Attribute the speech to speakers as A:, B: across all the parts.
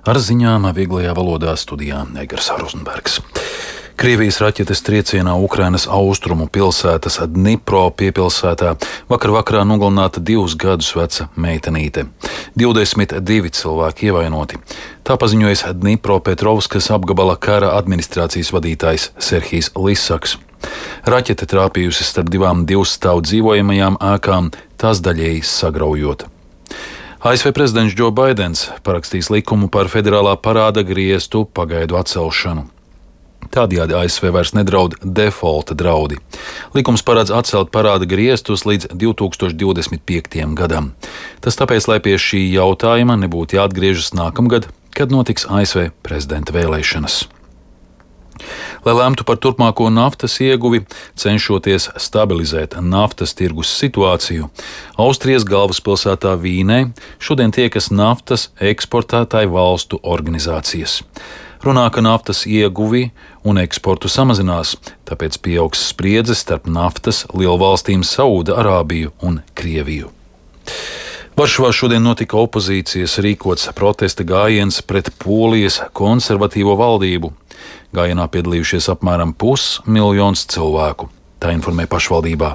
A: Ar ziņām vieglajā valodā studijā Egars Rozenbergs. Krievijas raķetes triecienā Ukrainas austrumu pilsētas Dnipro piepilsētā vakarā nogalināta 2 gadus veca meitenīte. 22 cilvēki ievainoti. Tā paziņojis Dnipropetrovskas apgabala kara administrācijas vadītājs Serhijs Lisaks. Raķete trāpījusi starp 2 divstāvu dzīvojamajām ēkām, tās daļēji sagraujot. ASV prezidents Džo Baidens parakstīs likumu par federālā parāda griestu pagaidu atcelšanu. Tādējādi ASV vairs nedraud defaulta draudi. Likums paredz atcelt parāda griestus līdz 2025. gadam. Tas tāpēc, lai pie šī jautājuma nebūtu jāatgriežas nākamgad, kad notiks ASV prezidenta vēlēšanas. Lai lemtu par turpmāko naftas ieguvi, cenšoties stabilizēt naftas tirgus situāciju, Austrijas galvaspilsētā Vīnē šodien tiekas naftas eksportētāju valstu organizācijas. Runā, ka naftas ieguvi un eksportu samazinās, tāpēc pieaugs spriedze starp naftas lielvalstīm Saūda-Arābiju un Krieviju. Varšavā šodien notika opozīcijas rīkots protesta gājiens pret Polijas konservatīvo valdību. Gājienā piedalījušies apmēram 500 000 cilvēku. Tā informē pašvaldībā.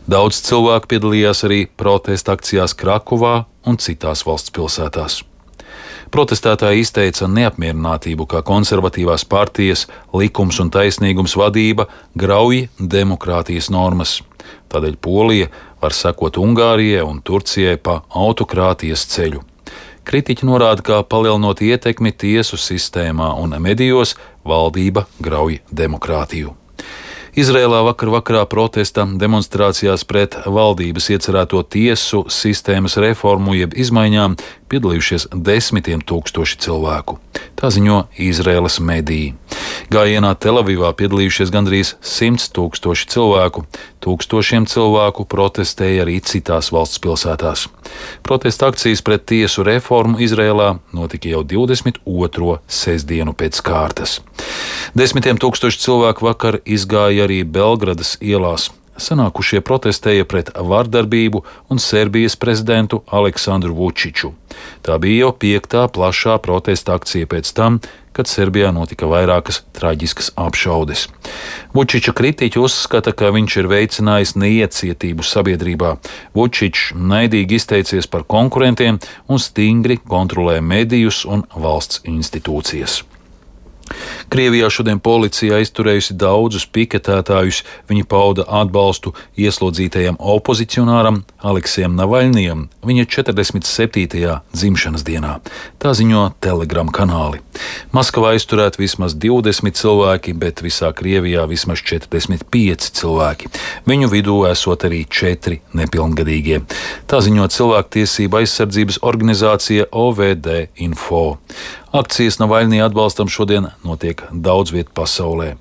A: Daudz cilvēku piedalījās arī protesta akcijās Krakovā un citās valsts pilsētās. Protestētāji izteica neapmierinātību, ka konservatīvās partijas Likums un taisnīgums vadība grauj demokrātijas normas. Tādēļ Polija var sekot Ungārijai un Turcijai pa autokrātijas ceļu. Kritiķi norāda, ka palielinot ietekmi tiesu sistēmā un medijos, valdība grauj demokrātiju. Izrēlā vakarā protesta demonstrācijās pret valdības iecerēto tiesu sistēmas reformu jeb izmaiņām piedalījušies 10 000 cilvēku. Tā ziņo Izrēlas mediji. Gājienā Telavivā piedalījušies gandrīz 100 000 cilvēku. Tūkstošiem cilvēku protestēja arī citās valsts pilsētās. Protesta akcijas pret tiesu reformu Izrēlā notika jau 22. sestdienu pēc kārtas. 10 000 cilvēku vakar izgāja arī Belgradas ielās. Sanākušie protestēja pret vardarbību un Serbijas prezidentu Aleksandru Vučiču. Tā bija jau 5. plašā protesta akcija pēc tam, kad Serbijā notika vairākas traģiskas apšaudes. Vučiča kritiķi uzskata, ka viņš ir veicinājis neiecietību sabiedrībā. Vučičs naidīgi izteicies par konkurentiem un stingri kontrolē medijus un valsts institūcijas. Krievijā šodien policija aizturējusi daudzus piketētājus. Viņi pauda atbalstu ieslodzītajam opozicionāram Aleksejam Navaļnijam viņa 47. dzimšanas dienā. Tā ziņo Telegram kanāli. Maskavā aizturēti vismaz 20 cilvēki, bet visā Krievijā vismaz 45 cilvēki. Viņu vidū esot arī 4 nepilngadīgie. Tā ziņo cilvēktiesība aizsardzības organizācija OVD Info. Akcijas Navaļnija atbalstam šodien notiek daudz viet pasaulē.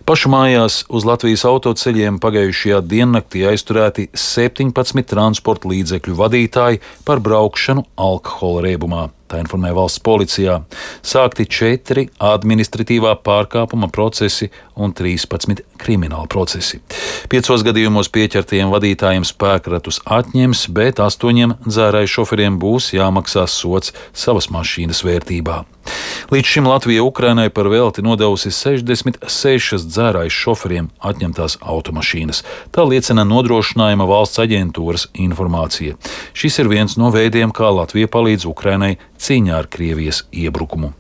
A: Pašu mājās uz Latvijas autoceļiem pagājušajā diennaktī aizturēti 17 transporta līdzekļu vadītāji par braukšanu alkohola riebumā. Tā informē valsts policijā. Sākti 4 administratīvā pārkāpuma procesi un 13 krimināla procesi. 5 gadījumos pieķertajiem vadītājiem spēkratus atņems, bet 8 dzērāju šoferiem būs jāmaksā sods savas mašīnas vērtībā. Līdz šim Latvija Ukrainai par velti nodevusi 66 dzērāju šoferiem atņemtās automašīnas. Tā liecina Nodrošinājuma valsts aģentūras informācija. Šis ir viens no veidiem, kā Latvija palīdz Ukrainai cīņā ar Krievijas iebrukumu.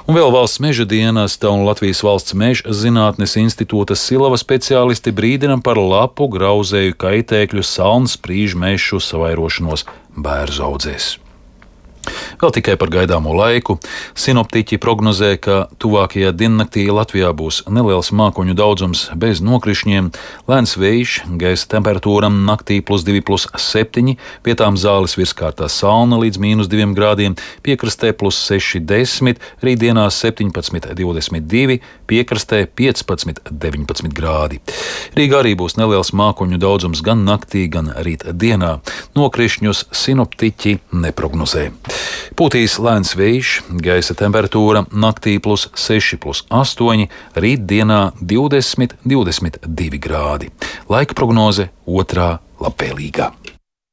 A: Un vēl valsts meža dienesta un Latvijas valsts meža zinātnes institūta Silava speciālisti brīdina par lapu grauzēju kaitēkļu salnsprīžu mežu savairošanos bērzu audzēs. Vēl tikai par gaidāmo laiku. Sinoptiķi prognozē, ka tuvākajā diennaktī Latvijā būs neliels mākoņu daudzums bez nokrišņiem, lēns vējš, gaisa temperatūra naktī +2, +7, vietām zāles virskārtā salna līdz -2 grādiem, piekrastē +6, +10, rītdienās 17, 22, piekrastē 15, 19 grādi. Rīgā arī būs neliels mākoņu daudzums gan naktī, gan rīt dienā. Nokrišņus sinoptiķi neprognozē. Pūtīs lēns vējš, gaisa temperatūra naktī +6, +8, rītdienā 20, 22 grādi. Laika prognoze 2. labvēlīgā.